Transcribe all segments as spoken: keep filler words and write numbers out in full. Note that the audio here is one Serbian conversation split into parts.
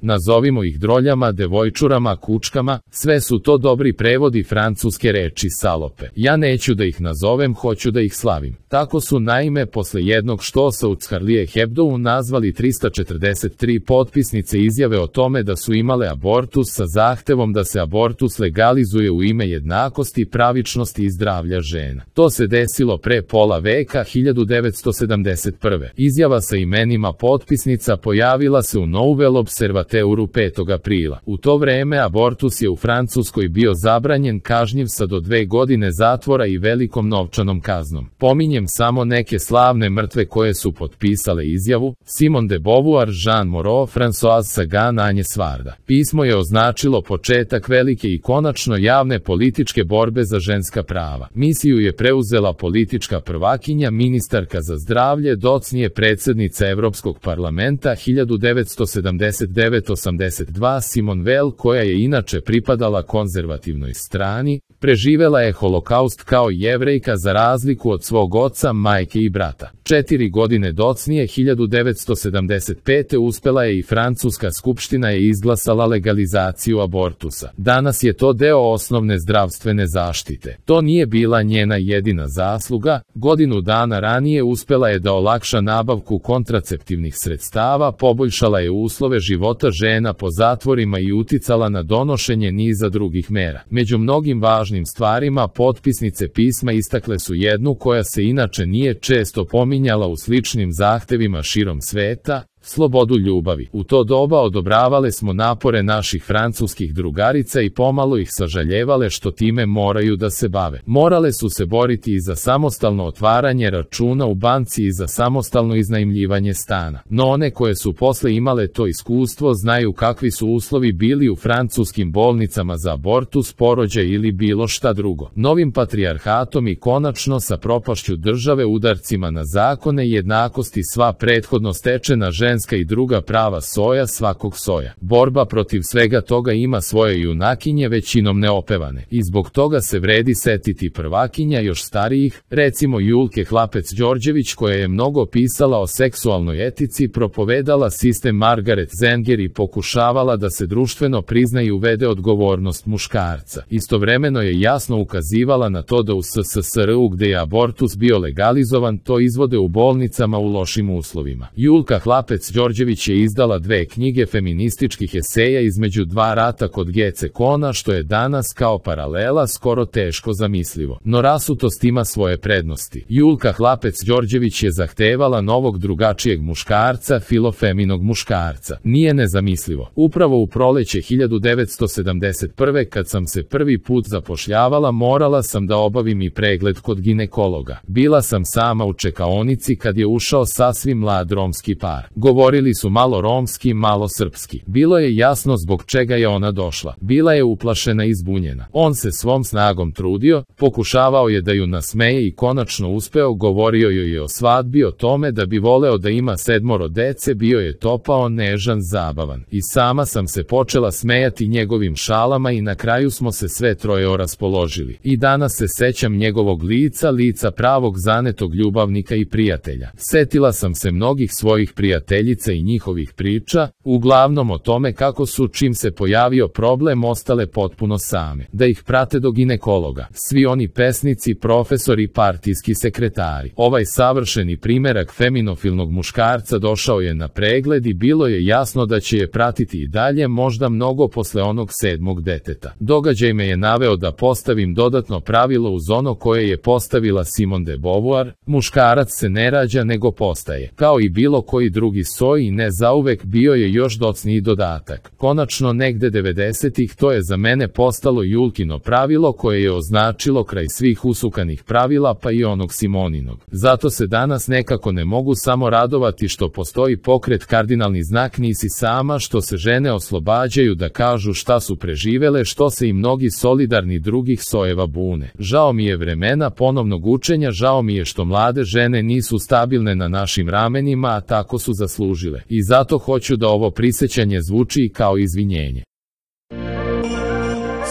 Nazovimo ih droljama, devojčurama, kučkama, sve su to dobri prevodi francuske reči salope. Ja neću da ih nazovem, hoću da ih slavim. Tako su naime posle jednog štosa u Charlie Hebdou nazvali trista četrdeset tri potpisnice izjave o tome da su imale abortus sa zahtevom da se abortus legalizuje u ime jednakosti, pravičnosti i zdravlja žena. To se desilo pre pola veka, hiljadu devetsto sedamdeset prve. Izjava sa imenima potpisnica pojavila se u Nouvel Observateuru petog aprila. U to vreme abortus je u Francuskoj bio zabranjen, kažnjiv sa do dve godine zatvora i velikom novčanom kaznom. Pominjem samo neke slavne mrtve koje su potpisale izjavu: Simone de Beauvoir, Jean Moreau, Françoise Sagan, Agnes Varda. Pismo je označilo početak velike i konačno javne političke borbe za ženska prava. Misiju je preuzela politička prvakinja, ministarka za zdravlje, docnije predsednica Evropskog parlamenta hiljadu devetsto sedamdeset devet do osamdeset dva Simone Veil, koja je inače pripadala konzervativnoj strani. Preživela je holokaust kao Jevrejka za razliku od svog oca, majke i brata. Četiri godine docnije, hiljadu devetsto sedamdeset pete uspela je i Francuska skupština je izglasala legalizaciju abortusa. Danas je to deo osnovne zdravstvene zaštite. To nije bila njena jedina zasluga. Godinu dana ranije uspela je da olakša nabavku kontraceptivnih sredstava, poboljšala je uslove života žena po zatvorima i uticala na donošenje niza drugih mera. Među mnogim važnim stvarima potpisnice pisma istakle su jednu koja se inače nije često pominjala u sličnim zahtevima širom sveta: slobodu ljubavi. U to doba odobravale smo napore naših francuskih drugarica i pomalo ih sažaljevale što time moraju da se bave. Morale su se boriti i za samostalno otvaranje računa u banci i za samostalno iznajmljivanje stana. No one koje su posle imale to iskustvo znaju kakvi su uslovi bili u francuskim bolnicama za abortus, porođaj ili bilo šta drugo. Novim patrijarhatom i konačno sa propašću države, udarcima na zakone i jednakosti, sva prethodno stečena ženska i druga prava soja svakog soja. Borba protiv svega toga ima svoje junakinje, većinom neopevane. I zbog toga se vredi setiti prvakinja još starijih, recimo Julke Hlapec-Đorđević, koja je mnogo pisala o seksualnoj etici, propovedala sistem Margaret Zenger i pokušavala da se društveno prizna i uvede odgovornost muškarca. Istovremeno je jasno ukazivala na to da u S S S R U, gde je abortus bio legalizovan, to izvode u bolnicama u lošim uslovima. Julka Hlapec Đorđević je izdala dve knjige feminističkih eseja između dva rata kod Gece Kona, što je danas kao paralela skoro teško zamislivo. No rasutost ima svoje prednosti. Julka Hlapec Đorđević je zahtevala novog, drugačijeg muškarca, filofeminog muškarca. Nije nezamislivo. Upravo u proleće hiljadu devetsto sedamdeset prve kad sam se prvi put zapošljavala, morala sam da obavim i pregled kod ginekologa. Bila sam sama u čekaonici kad je ušao sasvim mlad romski par. Govorili su malo romski, malo srpski. Bilo je jasno zbog čega je ona došla. Bila je uplašena i zbunjena. On se svom snagom trudio, pokušavao je da ju nasmeje i konačno uspeo, govorio joj je o svadbi, o tome da bi voleo da ima sedmoro dece, bio je topao, nežan, zabavan. I sama sam se počela smejati njegovim šalama i na kraju smo se sve troje oraspoložili. I danas se sećam njegovog lica, lica pravog zanetog ljubavnika i prijatelja. Setila sam se mnogih svojih prijateljica i njihovih priča, uglavnom o tome kako su, čim se pojavio problem, ostale potpuno same, da ih prate do ginekologa. Svi oni pesnici, profesori, partijski sekretari. Ovaj savršeni primerak feminofilnog muškarca došao je na pregled i bilo je jasno da će je pratiti i dalje, možda mnogo posle onog sedmog deteta. Događaj me je naveo da postavim dodatno pravilo uz ono koje je postavila Simone de Beauvoir: muškarac se ne rađa nego postaje. Kao i bilo koji drugi soj i ne zauvek, bio je još docniji dodatak. Konačno negde devedesetih to je za mene postalo Julkino pravilo koje je označilo kraj svih usukanih pravila, pa i onog Simoninog. Zato se danas nekako ne mogu samo radovati što postoji pokret Kardinalni znak nisi sama, što se žene oslobađaju da kažu šta su preživele, što se i mnogi solidarni drugih sojeva bune. Žao mi je vremena ponovnog učenja, žao mi je što mlade žene nisu stabilne na našim ramenima, a tako su zaslužile. I zato hoću da ovo prisećanje zvuči i kao izvinjenje.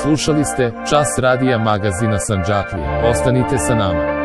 Slušali ste Čas radija magazina Sandžaklija. Ostanite sa nama.